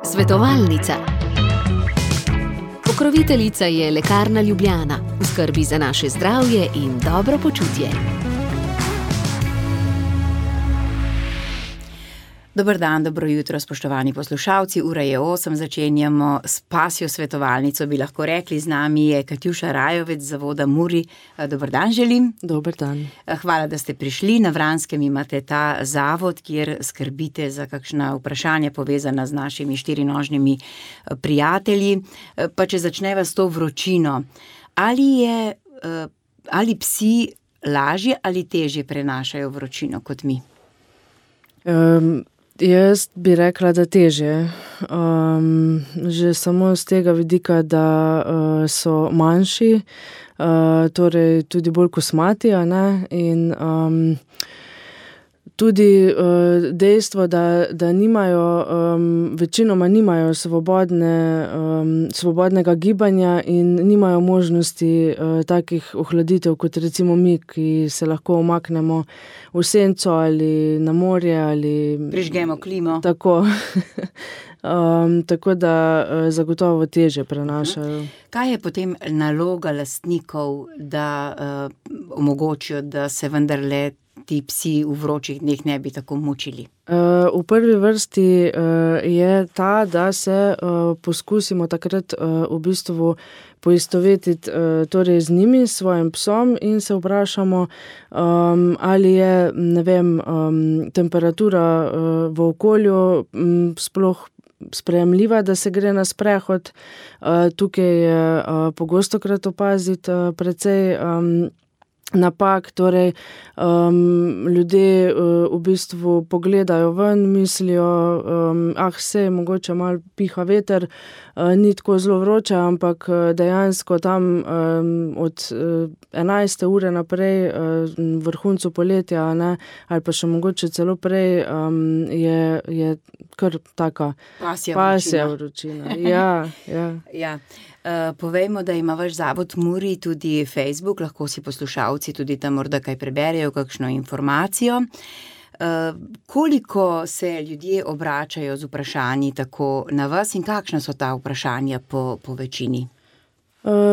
Svetovalnica. Pokroviteljica je Lekarna Ljubljana, v skrbi za naše zdravje in dobro počutje. Dober dan, dobro jutro, spoštovani poslušalci. Ura je 8, začenjamo s pasjo svetovalnico, bi lahko rekli. Z nami je Katjuša Rajovec z zavoda Muri. Dober dan želim. Dober dan. Hvala, da ste prišli. Na Vranskem imate ta zavod, kjer skrbite za kakšna vprašanja povezana z našimi štirinožnimi prijatelji. Pa če začneva s to vročino, ali psi lažje ali težje prenašajo vročino kot mi? Jaz bi rekla, da težje. Že samo z tega vidika, da so manjši, torej tudi bolj kosmati, a ne? In tudi dejstvo, da nimajo, večinoma nimajo svobodnega gibanja in nimajo možnosti takih ohladitev, kot recimo mi, ki se lahko umaknemo v senco ali na morje ali prižgemo klimo. Tako. Tako da zagotovo težje prenašajo. Kaj je potem naloga lastnikov, da omogočijo, da se vendarle ti psi v vročih dneh ne bi tako mučili? V prvi vrsti je ta, da se poskusimo takrat v bistvu poistovetiti torej z njimi, s svojim psom in se vprašamo, ali je, ne vem, temperatura v okolju sploh sprejemljiva, da se gre na sprehod. Tukaj je pogostokrat opaziti precej napak, torej ljudje v bistvu pogledajo ven, mislijo, sej mogoče malo piha veter, ni tako zelo vroče, ampak dejansko tam od 11. ure naprej, vrhuncu poletja, ne, ali pa še mogoče celo prej, je kar taka pasja vročina. Ja. Povejmo, da ima vaš zavod Muri tudi Facebook, lahko si poslušalci tudi tam morda kaj preberejo, kakšno informacijo. Koliko se ljudje obračajo z vprašanji tako na vas in kakšna so ta vprašanja po večini?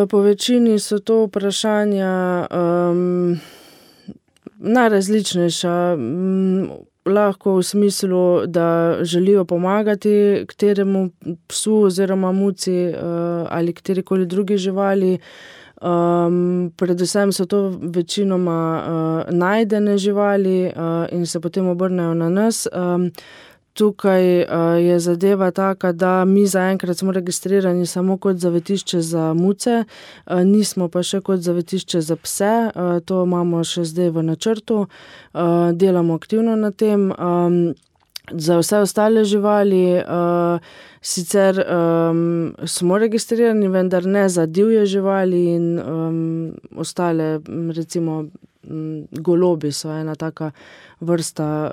Po večini so to vprašanja najrazličnejša, lahko v smislu, da želijo pomagati kateremu psu oziroma muci ali katerikoli drugi živali. Predvsem so to večinoma najdene živali in se potem obrnejo na nas. Tukaj je zadeva taka, da mi zaenkrat smo registrirani samo kot zavetišče za muce, nismo pa še kot zavetišče za pse, to imamo še zdaj v načrtu, delamo aktivno na tem. Za vse ostale živali sicer smo registrirani, vendar ne za divje živali in ostale, recimo golobi so ena taka vrsta,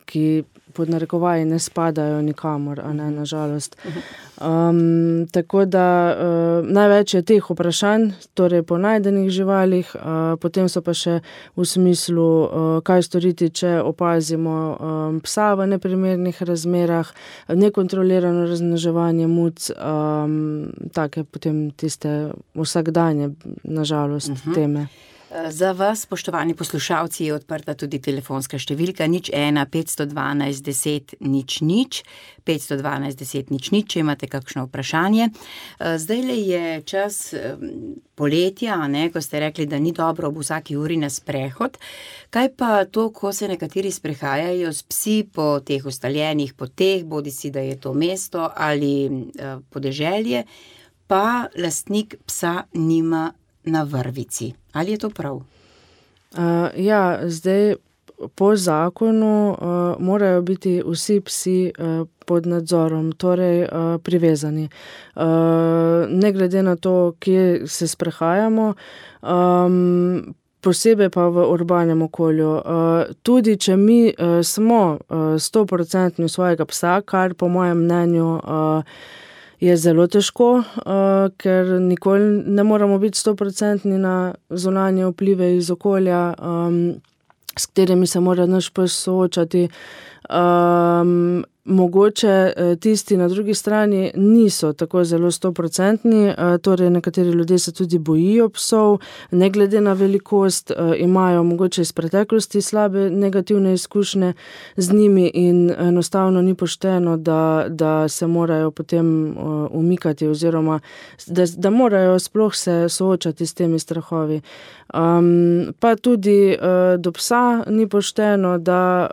ki pod narekovaji ne spadajo nikamor, a ne, nažalost. Tako da največ je teh vprašanj, torej po najdenih živalih, potem so pa še v smislu, kaj storiti, če opazimo psa v neprimernih razmerah, nekontrolirano razmnoževanje muc, take potem tiste vsakdanje, nažalost, teme. Za vas, spoštovani poslušalci, je odprta tudi telefonska številka 01 512 10 00, 512 10 00, če imate kakšno vprašanje. Zdajle je čas poletja, ne, ko ste rekli, da ni dobro ob vsaki uri na sprehod. Kaj pa to, ko se nekateri sprehajajo s psi po teh ustaljenih poteh, bodisi da je to mesto ali podeželje, pa lastnik psa nima na vrvici? Ali je to prav? Zdaj po zakonu morajo biti vsi psi pod nadzorom, torej privezani. Ne glede na to, kje se sprehajamo, posebej pa v urbanem okolju. Tudi če mi smo 100% svojega psa, kar po mojem mnenju je zelo težko, ker nikoli ne moramo biti 100% na zunanje vplive iz okolja, s katerimi se mora naš pes soočati. Mogoče tisti na drugi strani niso tako zelo 100%, torej nekateri ljudje se tudi bojijo psov, ne glede na velikost, imajo mogoče iz preteklosti slabe negativne izkušnje z njimi in enostavno ni pošteno, da se morajo potem umikati oziroma da morajo sploh se soočati s temi strahovi. Pa tudi do psa ni pošteno, da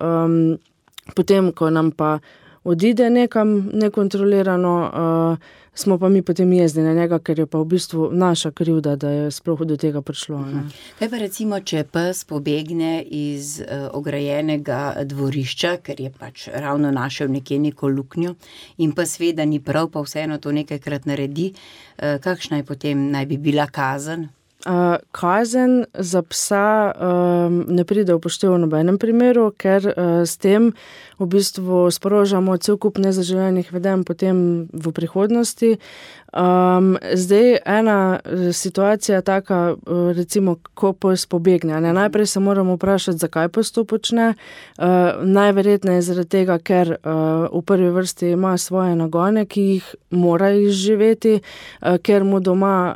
potem, ko nam pa odide nekam nekontrolirano, smo pa mi potem jezni na njega, ker je pa v bistvu naša krivda, da je sploh do tega prišlo. Ne? Kaj pa recimo, če pes pobegne iz ograjenega dvorišča, ker je pač ravno našel nekje neko luknjo in pes ve, da ni prav, pa vseeno to nekajkrat naredi, kakšna je potem naj bi bila kazen? Kazen za psa ne pride v poštev v nobenem primeru, ker s tem v bistvu sprožamo cel kup nezaželenih vedenj potem v prihodnosti. Zdaj ena situacija taka, recimo, ko pes pobegne. Najprej se moramo vprašati, zakaj pes to počne. Najverjetneje zaradi tega, ker v prvi vrsti ima svoje nagone, ki jih mora izživeti, ker mu doma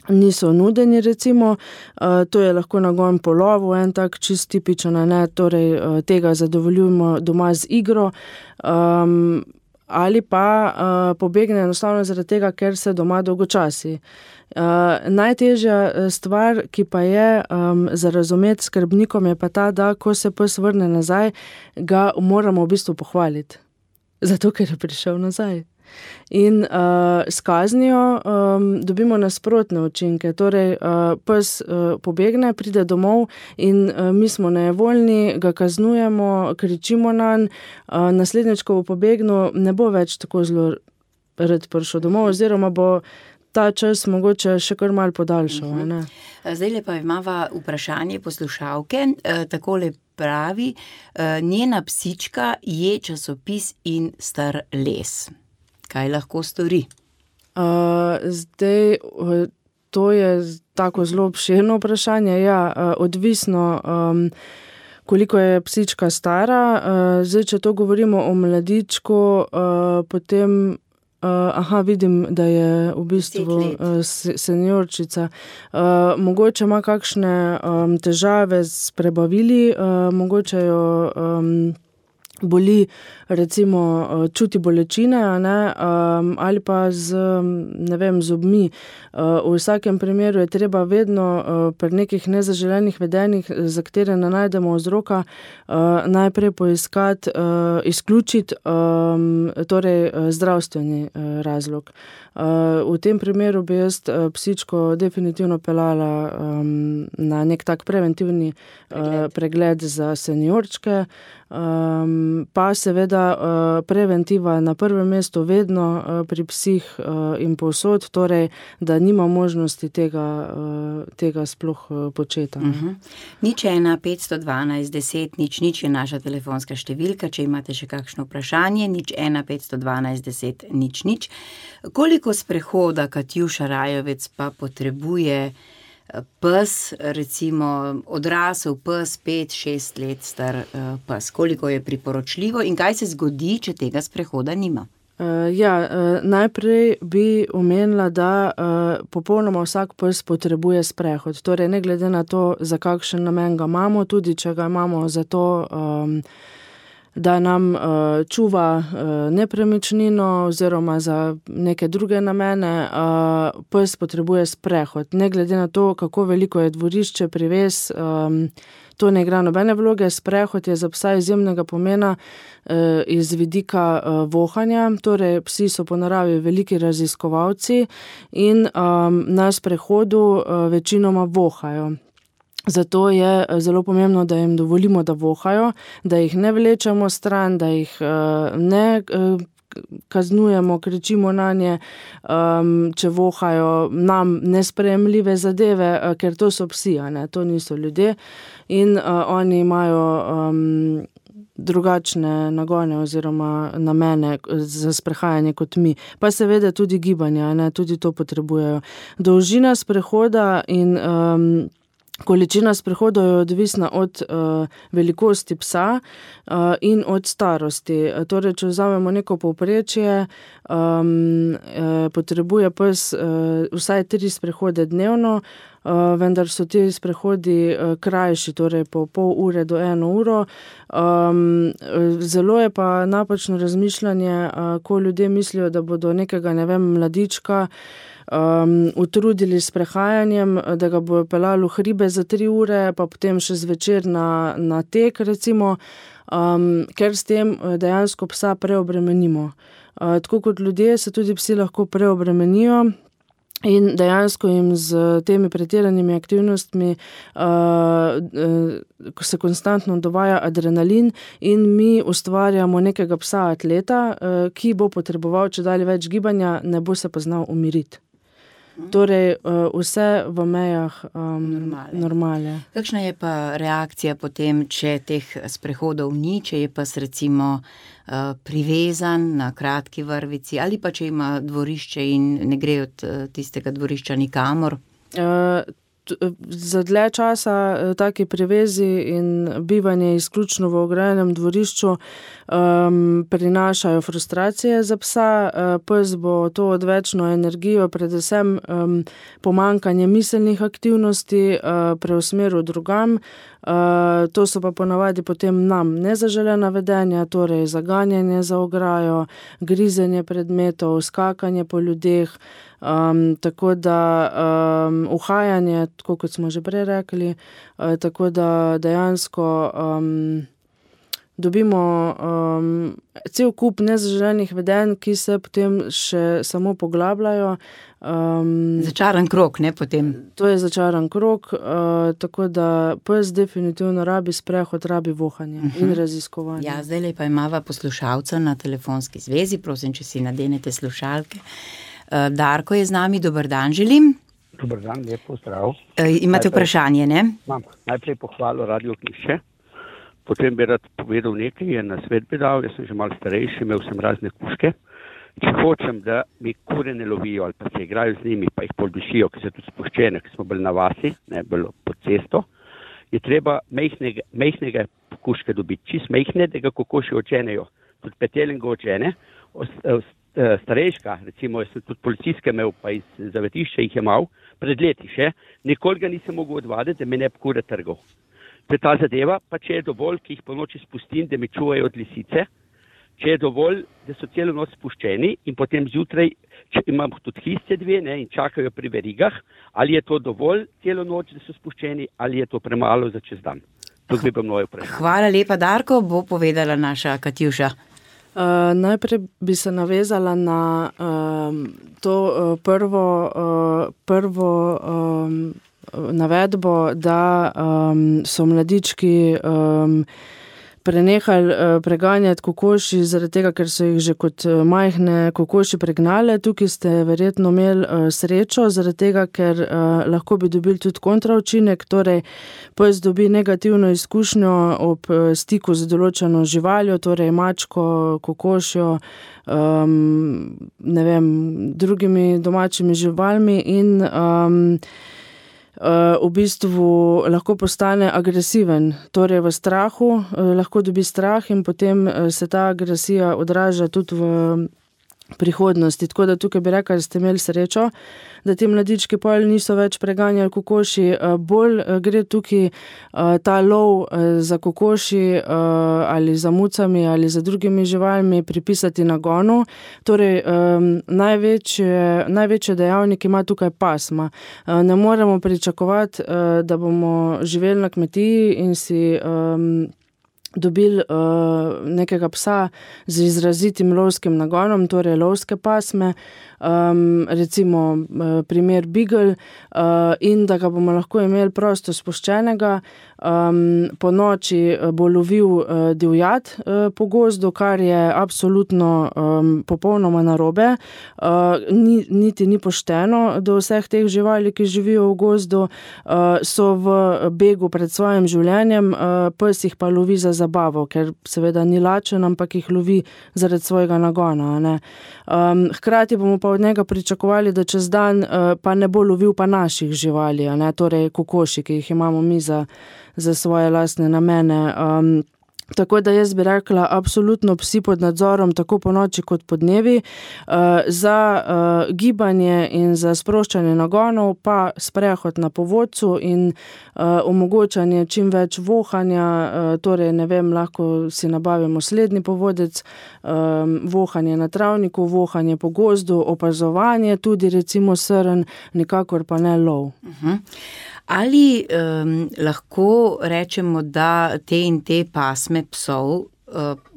niso nudeni, recimo. To je lahko nagon po lovu, en tak čist tipičen, torej tega zadovoljujemo doma z igro, ali pa pobegne enostavno zaradi tega, ker se doma dolgočasi. Najtežja stvar, ki pa je za razumeti skrbnikom, je pa ta, da ko se pes vrne nazaj, ga moramo v bistvu pohvaliti. Zato, ker je prišel nazaj. In s kaznijo dobimo nasprotne učinke, torej pes pobegne, pride domov in mi smo nejevoljni, ga kaznujemo, kričimo nanj, naslednjič, ko bo pobegnil, ne bo več tako zelo rad prišel domov, oziroma bo ta čas mogoče še kar malo podaljšal. Zdajle pa imava vprašanje poslušalke, takole pravi, njena psička je časopis in star les. Kaj lahko stori? Zdaj, to je tako zelo obširno vprašanje. Ja, odvisno, koliko je psička stara. Zdaj, če to govorimo o mladičku, potem, vidim, da je v bistvu seniorčica. Mogoče ima kakšne težave s prebavili, mogoče jo boli, recimo, čuti bolečine, ali pa z zobmi. V vsakem primeru je treba vedno pri nekih nezaželenih vedenjih, za katere ne najdemo vzroka, najprej poiskati, izključiti torej zdravstveni razlog. V tem primeru bi jaz psičko definitivno peljala na nek tak preventivni pregled za seniorčke, pa seveda preventiva na prvem mestu vedno pri psih in povsod, torej, da nima možnosti tega sploh početi. 01 512 10 00 je naša telefonska številka, če imate še kakšno vprašanje, 01 512 10 00. Koliko sprehoda Katjuša Rajovec pa potrebuje pes, recimo odrasel pes, 5-6 let star pes? Koliko je priporočljivo in kaj se zgodi, če tega sprehoda nima? Najprej bi omenila, da popolnoma vsak pes potrebuje sprehod. Torej, ne glede na to, za kakšen namen ga imamo, tudi če ga imamo za to, da nam čuva nepremičnino oziroma za neke druge namene, pes potrebuje sprehod. Ne glede na to, kako veliko je dvorišče, prives, to ne igra nobene vloge. Sprehod je za psa izjemnega pomena iz vidika vohanja, torej psi so po naravi veliki raziskovalci in na sprehodu večinoma vohajo. Zato je zelo pomembno, da jim dovolimo, da vohajo, da jih ne vlečemo stran, da jih ne kaznujemo, kričimo nanje, če vohajo nam nesprejemljive zadeve, ker to so psi, to niso ljudje in oni imajo drugačne nagone oziroma namene za sprehajanje kot mi. Pa seveda tudi gibanja, tudi to potrebujejo. Dolžina sprehoda in Količina sprehodov je odvisna od velikosti psa in od starosti. Torej, če vzamemo neko povprečje, potrebuje pes vsaj 3 sprehode dnevno, vendar so ti sprehodi krajši, torej po pol ure do 1 uro. Zelo je pa napačno razmišljanje, ko ljudje mislijo, da bodo nekega, mladička utrudili s prehajanjem, da ga bojo pelali v hribe za 3 ure, pa potem še zvečer na tek, recimo, ker s tem dejansko psa preobremenimo. Tako kot ljudje se tudi psi lahko preobremenijo in dejansko jim z temi pretiranimi aktivnostmi se konstantno dovaja adrenalin in mi ustvarjamo nekega psa atleta, ki bo potreboval čedalje več gibanja, ne bo se pa znal umiriti. Torej, vse v mejah normale. Kakšna je pa reakcija potem, če teh sprehodov ni, če je pas recimo privezan na kratki vrvici ali pa če ima dvorišče in ne gre od tistega dvorišča nikamor? Za dlje časa taki privezi in bivanje izključno v ograjenem dvorišču prinašajo frustracije za psa. Pes bo to odvečno energijo, predvsem pomanjkanje miselnih aktivnosti preusmeril drugam. To so pa ponavadi potem nam nezaželena vedenja, torej zaganjanje za ograjo, grizenje predmetov, skakanje po ljudeh, tako da uhajanje, tako kot smo že prej rekli, tako da dejansko dobimo cel kup nezaželenih vedenj, ki se potem še samo poglabljajo. Začaran krog, ne, potem? To je začaran krog, tako da pes definitivno rabi sprehod, rabi vohanje in raziskovanje. Ja, zdajle pa imava poslušalca na telefonski zvezi, prosim, če si nadenete slušalke. Darko je z nami, dober dan želim. Dober dan, lep pozdrav. Imate vprašanje, ne? Imam najprej pohvalo Radio Knjišče, potem bi rad povedal nekaj, je na svet bi dal, jaz sem že malo starejši, imel sem razne kužke. Če hočem, da mi kure ne lovijo ali pa se igrajo z njimi, pa jih pol dušijo, ki so tudi spuščene, ki smo bili na vasi, ne bilo pod cesto, je treba mejhnega kužke dobiti, čist mejhne, da ga kokoši odženejo. Tudi petelin ga odžene, starejška, recimo, jaz sem tudi policijske imel, pa iz zavetišča jih je mal, pred leti še, nikoli ga nisem mogel odvaditi, da me ne bi kure trgal. To je ta zadeva, pa če je dovolj, ki jih po noči spustim, da me čuvajo od lisice, če je dovolj, da so celo noč spuščeni in potem zjutraj, če imam tudi histe 2, ne, in čakajo pri verigah, ali je to dovolj celo noč, da so spuščeni, ali je to premalo za čez dan. To bi bilo moje vprašanje. Hvala lepa, Darko, bo povedala naša Katjuša. Najprej bi se navezala na to prvo navedbo, da so mladički prenehali preganjati kokoši zaradi tega, ker so jih že kot majhne kokoši pregnale. Tukaj ste verjetno imeli srečo, zaradi tega, ker lahko bi dobili tudi kontraučinek, torej pes dobi negativno izkušnjo ob stiku z določeno živaljo, torej mačko, kokošjo, drugimi domačimi živalmi in v bistvu lahko postane agresiven, torej v strahu, lahko dobi strah in potem se ta agresija odraža tudi v prihodnosti. Tako da tukaj bi rekla, da ste imeli srečo, da ti mladički pol niso več preganjali kokoši. Bolj gre tukaj ta lov za kokoši ali za mucami ali za drugimi živalmi pripisati nagonu. Torej, največje dejavnik ima tukaj pasma. Ne moremo pričakovati, da bomo živeli na kmetiji in si dobili nekega psa z izrazitim lovskim nagonom, torej lovske pasme, recimo primer Beagle, in da ga bomo lahko imeli prosto spuščenega. Po noči bo lovil divjad po gozdu, kar je absolutno popolnoma narobe. Niti ni pošteno do vseh teh živali, ki živijo v gozdu, so v begu pred svojim življenjem, pes jih pa lovi za zabavo, ker seveda ni lačen, ampak jih lovi zaradi svojega nagona, ne. Hkrati bomo pa od njega pričakovali, da čez dan pa ne bo lovil pa naših živali, ne, torej kokoši, ki jih imamo mi za svoje lastne namene. Tako da jaz bi rekla, absolutno psi pod nadzorom, tako po noči kot po dnevi. Za gibanje in za sproščanje nagonov pa sprehod na povodcu in omogočanje čim več vohanja, torej ne vem, lahko si nabavimo slednji povodec, vohanje na travniku, vohanje po gozdu, opazovanje, tudi recimo srn, nikakor pa ne lov. Ali lahko rečemo, da te in te pasme psov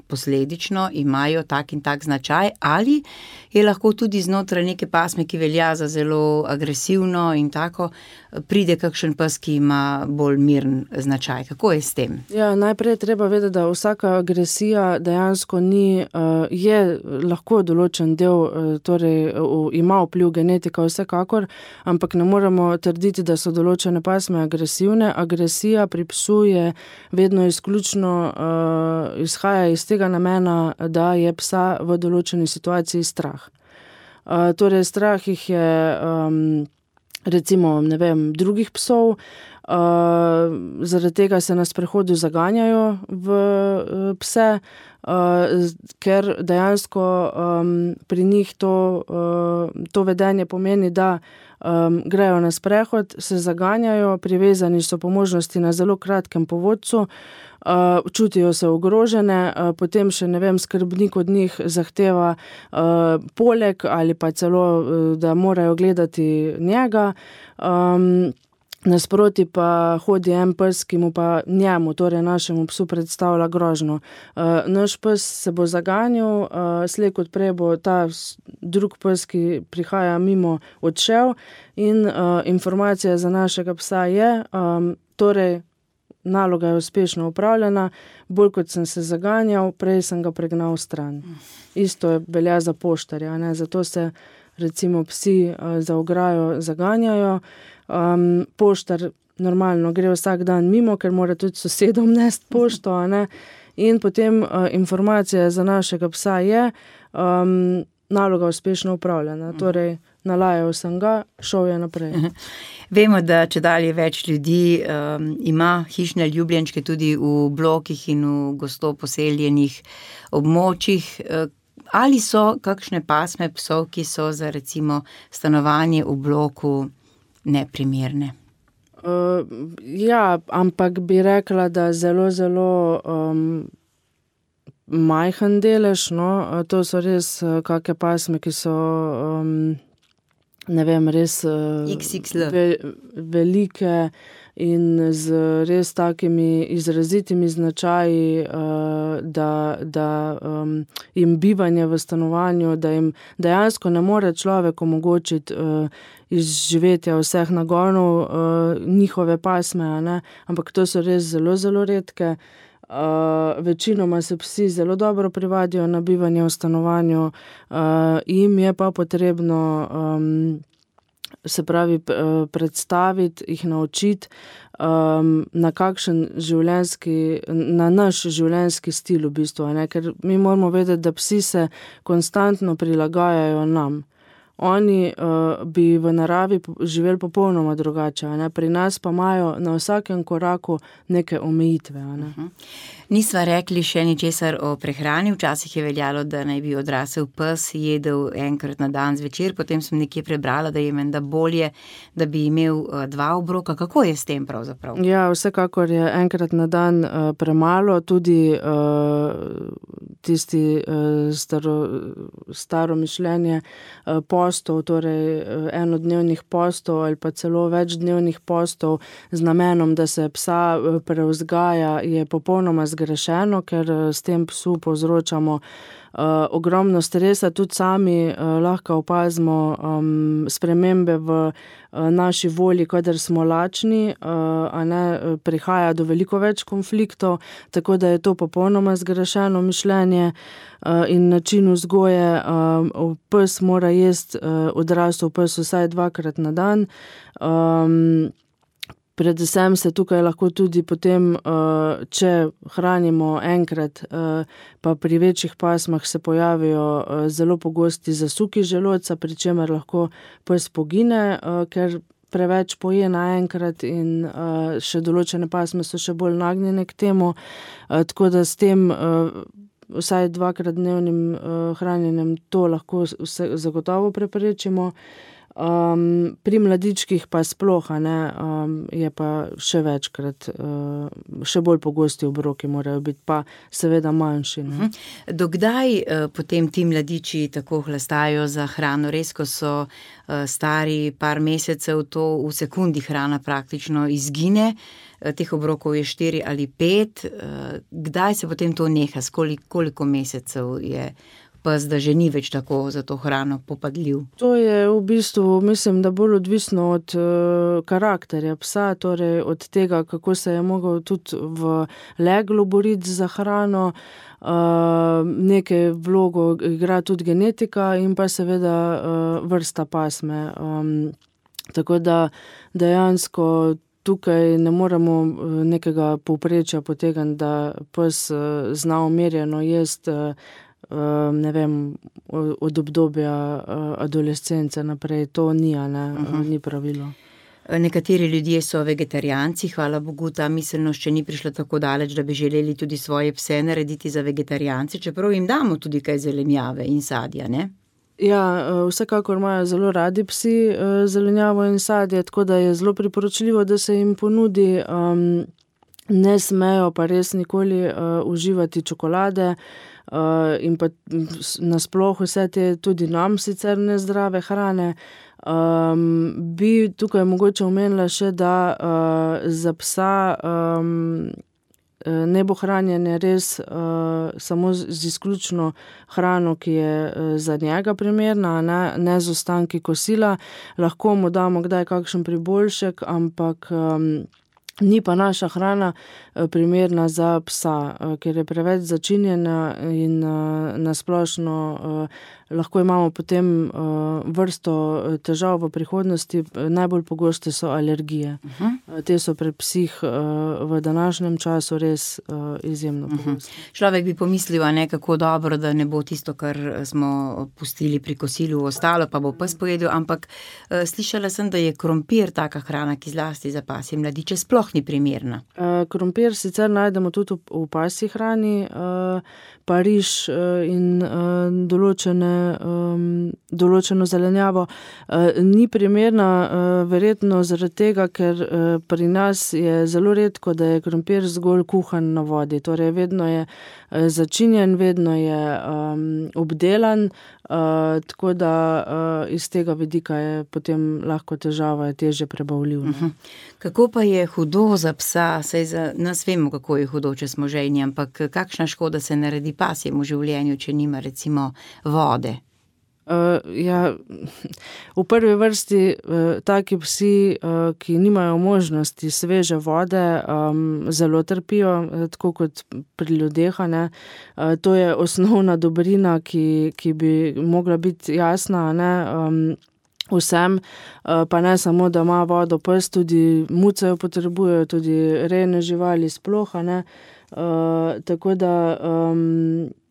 posledično imajo tak in tak značaj, ali je lahko tudi znotraj neke pasme, ki velja za zelo agresivno in tako, pride kakšen pes, ki ima bolj miren značaj. Kako je s tem? Ja, najprej treba vedeti, da vsaka agresija dejansko je lahko določen del, torej ima vpliv genetika vsekakor, ampak ne moremo trditi, da so določene pasme agresivne. Agresija pri psu je vedno izključno izhaja iz tega namena, da je psa v določeni situaciji strah. Torej, strah jih je recimo, ne vem, drugih psov, zaradi tega se na sprehodu zaganjajo v pse, ker dejansko pri njih to vedenje pomeni, da grejo na sprehod, se zaganjajo, privezani so po možnosti na zelo kratkem povodcu, čutijo se ogrožene, potem še, ne vem, skrbnik od njih zahteva poleg ali pa celo, da morajo gledati njega. Nasproti pa hodi en pes, ki mu pa njemu, torej našemu psu, predstavlja grožnjo. Naš pes se bo zaganjal, slej kot prej bo ta drug pes, ki prihaja mimo, odšel in informacija za našega psa je, torej naloga je uspešno opravljena, bolj kot sem se zaganjal, prej sem ga pregnal stran. Isto je velja za poštarja, ne? Zato se recimo psi za ograjo zaganjajo. Poštar normalno gre vsak dan mimo, ker mora tudi sosedom nesti pošto, ne? In potem informacija za našega psa je, naloga uspešno upravljena, torej nalajal sem ga, šel je naprej. Vemo, da čedalje več ljudi ima hišne ljubljenčke tudi v blokih in v gosto poseljenih območjih. Ali so kakšne pasme psov, ki so za recimo stanovanje v bloku neprimerne? Ja, ampak bi rekla, da zelo, zelo majhen delež, no, to so res kake pasme, ki so, ne vem, res velike in z res takimi izrazitimi značaji, da jim bivanje v stanovanju, da jim dejansko ne more človek omogočiti izživetja vseh nagonov njihove pasme, ne? Ampak to so res zelo, zelo redke. Večinoma se psi zelo dobro privadijo na bivanje v stanovanju, jim je pa potrebno se pravi predstaviti, jih naučiti na kakšen na naš življenjski stil v bistvu, ne? Ker mi moramo vedeti, da psi se konstantno prilagajajo nam. Oni bi v naravi živeli popolnoma drugače, ne? Pri nas pa imajo na vsakem koraku neke omejitve, ne? Nisva rekli še ničesar o prehrani. Včasih je veljalo, da naj bi odrasel pes jedel enkrat na dan zvečer, potem sem nekje prebrala, da je menda bolje, da bi imel 2 obroka. Kako je s tem pravzaprav? Ja, vsekakor je enkrat na dan premalo, tudi tisti staro mišljenje postov, torej enodnevnih postov ali pa celo večdnevnih postov z namenom, da se psa prevzgaja, je popolnoma zgrešeno, ker s tem psu povzročamo ogromno stresa, tudi sami lahko opazimo spremembe v naši volji, kadar smo lačni, a ne, prihaja do veliko več konfliktov, tako da je to popolnoma zgrešeno mišljenje in način vzgoje. Pes mora jesti, odrasel pes vsaj 2-krat na dan. Predvsem se tukaj lahko tudi potem, če hranimo enkrat, pa pri večjih pasmah se pojavijo zelo pogosti zasuki želodca, pri čemer lahko pes pogine, ker preveč poje naenkrat in še določene pasme so še bolj nagnjene k temu, tako da s tem vsaj 2-krat dnevnim hranjenjem to lahko zagotovo preprečimo. Pri mladičkih pa sploh, je pa še večkrat, še bolj pogosti obroki morajo biti, pa seveda manjši. Dokdaj potem ti mladiči tako hlastajo za hrano? Res, ko so stari par mesecev, to v sekundi hrana praktično izgine, teh obrokov je 4 ali 5. Kdaj se potem to neha? Koliko mesecev je pes, da že ni več tako za to hrano popadljiv? To je v bistvu, mislim, da bolj odvisno od karakterja psa, torej od tega, kako se je mogel tudi v leglu boriti za hrano. Nekaj vlogo igra tudi genetika in pa seveda vrsta pasme. Tako da dejansko tukaj ne moremo nekega povprečja potegniti, da pes zna umirjeno jesti, ne vem, od obdobja adolescence naprej. To ni, ni pravilo. Nekateri ljudje so vegetarijanci, hvala Bogu, ta miselnost še ni prišla tako daleč, da bi želeli tudi svoje pse narediti za vegetarijance, čeprav jim damo tudi kaj zelenjave in sadja, ne? Ja, vsekakor imajo zelo radi psi zelenjavo in sadje, tako da je zelo priporočljivo, da se jim ponudi. Ne smejo pa res nikoli uživati čokolade in pa nasploh vse te tudi nam sicer nezdrave hrane. Bi tukaj mogoče omenila še, da za psa ne bo hranjenje res samo z izključno hrano, ki je za njega primerna, ne z ostanki kosila. Lahko mu damo kdaj kakšen priboljšek, ampak ni pa naša hrana primerna za psa, ker je preveč začinjena in nasplošno lahko imamo potem vrsto težav v prihodnosti. Najbolj pogoste so alergije. Te so pri psih v današnjem času res izjemno pogoste. Človek bi pomislil, kako dobro, da ne bo tisto, kar smo pustili pri kosilu, ostalo, pa bo pes pojedel, ampak slišala sem, da je krompir taka hrana, ki zlasti za pasje mladiče sploh ni primerna. Krompir sicer najdemo tudi v pasji hrani, pa riž in določeno zelenjavo. Ni primerna verjetno zaradi tega, ker pri nas je zelo redko, da je krompir zgolj kuhan na vodi. Torej vedno je začinjen, vedno je obdelan, tako da iz tega vidika je potem lahko težava, je težje prebavljiv. Kako pa je hudo za psa? Saj za nas vemo, kako je hudo, če smo žejni, ampak kakšna škoda se naredi pasjemu življenju, če nima recimo vode? V prvi vrsti taki psi, ki nimajo možnosti sveže vode, zelo trpijo, tako kot pri ljudeh, To je osnovna dobrina, ki bi mogla biti jasna, vsem, pa ne samo, da ima vodo pes, tudi muce jo potrebujejo, tudi rejne živali sploh, tako da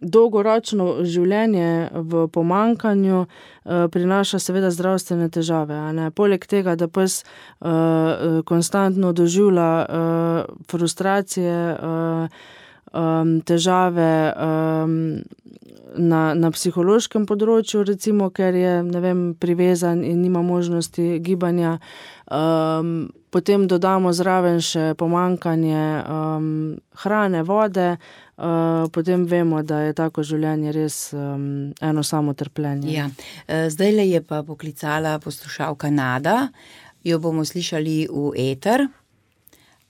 dolgoročno življenje v pomanjkanju prinaša seveda zdravstvene težave, Poleg tega, da pes konstantno doživlja frustracije, težave na psihološkem področju, recimo, ker je, privezan in nima možnosti gibanja. Potem dodamo zraven še pomanjkanje hrane, vode, potem vemo, da je tako življenje res eno samo trpljenje. Ja. Zdajle je pa poklicala poslušalka Nada, jo bomo slišali v eter.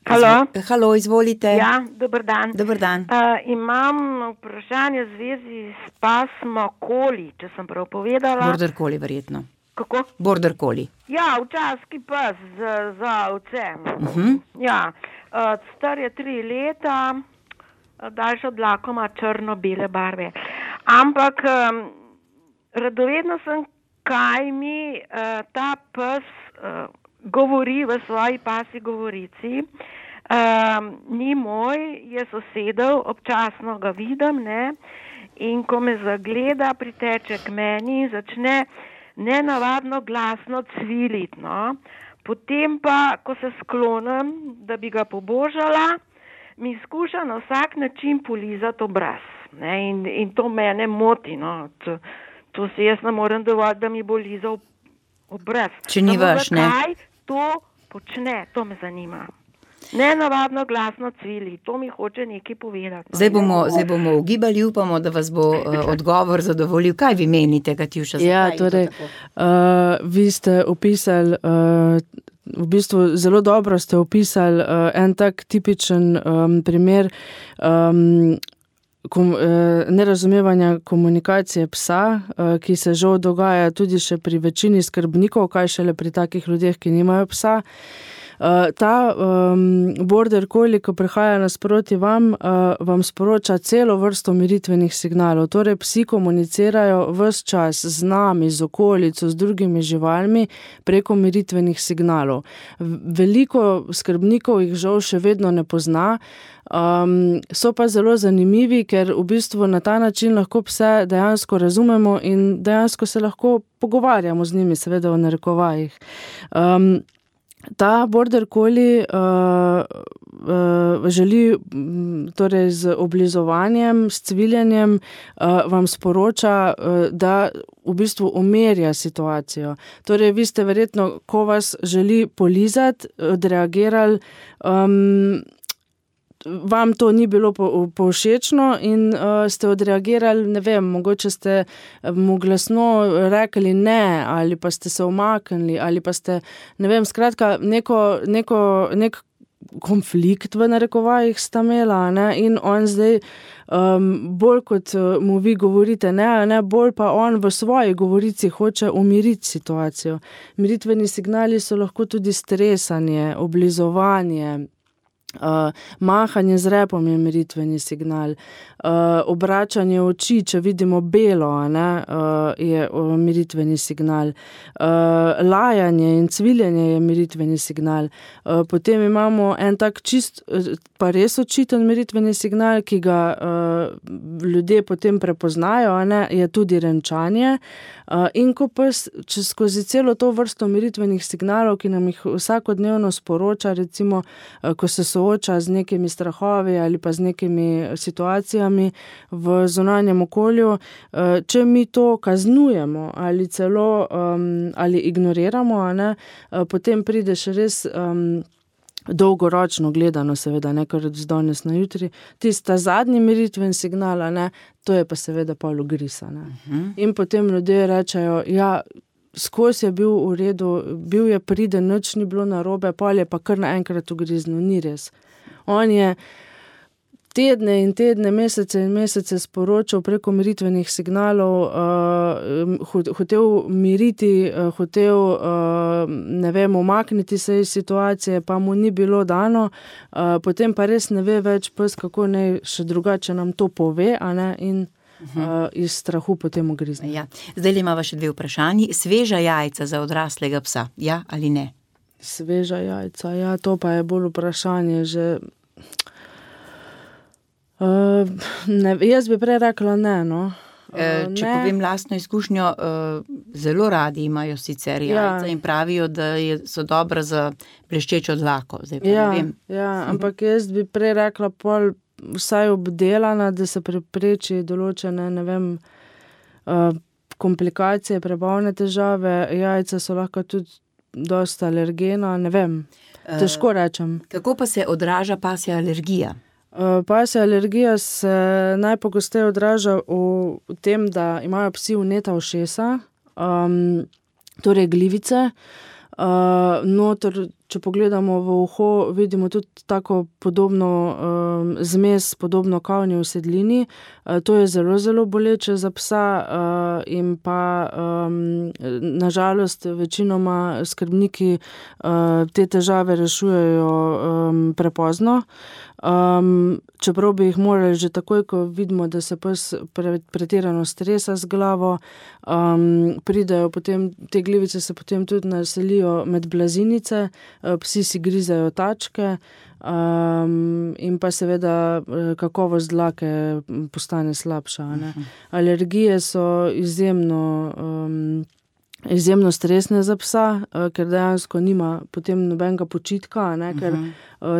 Halo, izvolite. Ja, dober dan. Dober dan. Imam vprašanje v zvezi s pasmo Collie, če sem prav povedala. Border Collie verjetno. Kako? Border Collie. Ja, včasih pes za ovce. Ja, star je 3 leta, daljša dlako, ima črno-bele barve. Ampak radovedna sem, kaj mi ta pes govori v svoji pasji govorici. Ni moj, je sosedov, občasno ga vidim, ne, in ko me zagleda, priteče k meni in začne nenavadno glasno cviliti, no. Potem pa, ko se sklonim, da bi ga pobožala, mi skuša na vsak način polizati obraz, ne, in to mene moti, no. To se jaz ne morem dovoliti, da mi bo lizal obraz. Če ni vaš, ne? Zakaj to počne, to me zanima. Nenavadno glasno cvili, to mi hoče nekaj povedati. Zdaj bomo ugibali, upamo, da vas bo odgovor zadovoljil. Kaj vi menite, Katjuša? Ja, torej, vi ste opisali, v bistvu zelo dobro ste opisali en tak tipičen primer nerazumevanja komunikacije psa, ki se žal dogaja tudi še pri večini skrbnikov, kaj šele pri takih ljudeh, ki nimajo psa. Ta border collie, ko prihaja nasproti vam sporoča celo vrsto umiritvenih signalov. Torej, psi komunicirajo ves čas z nami, z okolico, z drugimi živalmi preko umiritvenih signalov. Veliko skrbnikov jih žal še vedno ne pozna, so pa zelo zanimivi, ker v bistvu na ta način lahko pse dejansko razumemo in dejansko se lahko pogovarjamo z njimi, seveda v narekovajih. Ta border collie želi torej z oblizovanjem, s cviljenjem vam sporoča, da v bistvu umirja situacijo. Torej, vi ste verjetno, ko vas želi polizati, odreagirali, vam to ni bilo povšečno in ste odreagirali, ne vem, mogoče ste mu glasno rekli ne, ali pa ste se umaknili, ali pa ste, ne vem, skratka, nek konflikt v narekovajih sta imela, ne, in on zdaj bolj kot mu vi govorite ne, bolj pa on v svoji govorici hoče umiriti situacijo. Miritveni signali so lahko tudi stresanje, oblizovanje, mahanje z repom je miritveni signal, obračanje oči, če vidimo belo, ne, je miritveni signal, lajanje in cviljenje je miritveni signal. Potem imamo en tak čist, pa res očiten miritveni signal, ki ga ljudje potem prepoznajo, ne, je tudi renčanje. In ko pa skozi celo to vrsto miritvenih signalov, ki nam jih vsakodnevno sporoča, recimo, ko se sooča z nekimi strahovi ali pa z nekimi situacijami v zunanjem okolju, če mi to kaznujemo ali celo ali ignoriramo, ne, potem pride še res dolgoročno gledano, seveda, ne kar z danes na jutri, tista zadnji miritven signal, ne, to je pa seveda pol ugrisa, ne. In potem ljudje rečejo, ja, skozi je bil v redu, bil je priden, nič ni bilo narobe, pol je pa kar naenkrat ugriznil, ni res. On je tedne in tedne, mesece in mesece sporočal preko miritvenih signalov, hotel miriti, hotel, ne vem, umakniti se iz situacije, pa mu ni bilo dano, potem pa res ne ve več pes, kako naj še drugače nam to pove, a ne, in iz strahu potem ugrizne. Ja. Zdaj imava še dve vprašanji. Sveža jajca za odraslega psa, ja ali ne? Sveža jajca, ja, to pa je bolj vprašanje že... ne, jaz bi prej rekla ne, no. Če povem lastno izkušnjo, zelo radi imajo sicer jajca in pravijo, da so dobra za bleščečo dlako. Zdaj pa ne vem. Ja, ampak jaz bi prej rekla pol vsaj obdelana, da se prepreči določene, ne vem, komplikacije, prebavne težave, jajca so lahko tudi dosta alergena, ne vem, težko rečem. Kako pa se odraža pasja alergija? Pasja alergija se najpogosteje odraža v tem, da imajo psi vneta ušesa, torej glivice, noter če pogledamo v uho, vidimo tudi tako podobno zmes, podobno kavni usedlini. To je zelo, zelo boleče za psa in pa nažalost večinoma skrbniki te težave rešujejo prepozno. Čeprav bi jih morali že takoj, ko vidimo, da se pes pretirano stresa z glavo, pridejo potem, te glivice se potem tudi naselijo med blazinice, psi si grizejo tačke in pa seveda kakovost dlake postane slabša. Ne? Alergije so izjemno stresne za psa, ker dejansko nima potem nobenega počitka, ne? Ker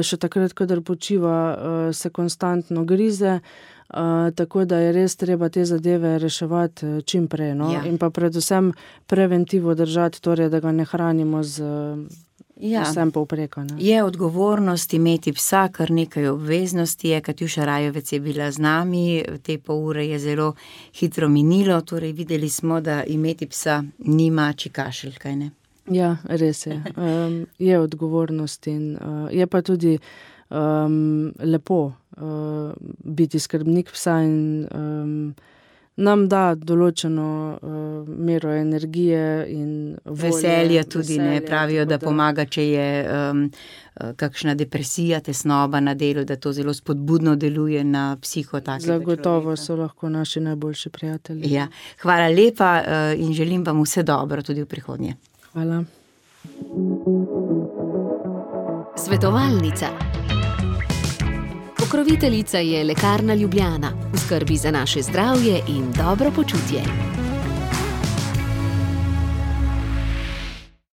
še takrat, kadar počiva, se konstantno grize, tako da je res treba te zadeve reševati čim prej. No? Ja. In pa predvsem preventivo držati, torej, da ga ne hranimo z vsem povpreka. Ne? Je odgovornost imeti psa, kar nekaj obveznosti je. Katjuša Rajovec je bila z nami, te pol ure je zelo hitro minilo, torej videli smo, da imeti psa nima čikašelj, kaj ne? Ja, res je. Je odgovornost in je pa tudi lepo biti skrbnik psa in nam da določeno mero energije in volje. Veselje tudi, ne pravijo, da pomaga, če je kakšna depresija, tesnoba na delu, da to zelo spodbudno deluje na psiho takega človeka. Zagotovo so lahko naši najboljši prijatelji. Ja. Hvala lepa in želim vam vse dobro tudi v prihodnje. Hvala. Svetovalnica. Pokroviteljica je Lekarna Ljubljana, v skrbi za naše zdravje in dobro počutje.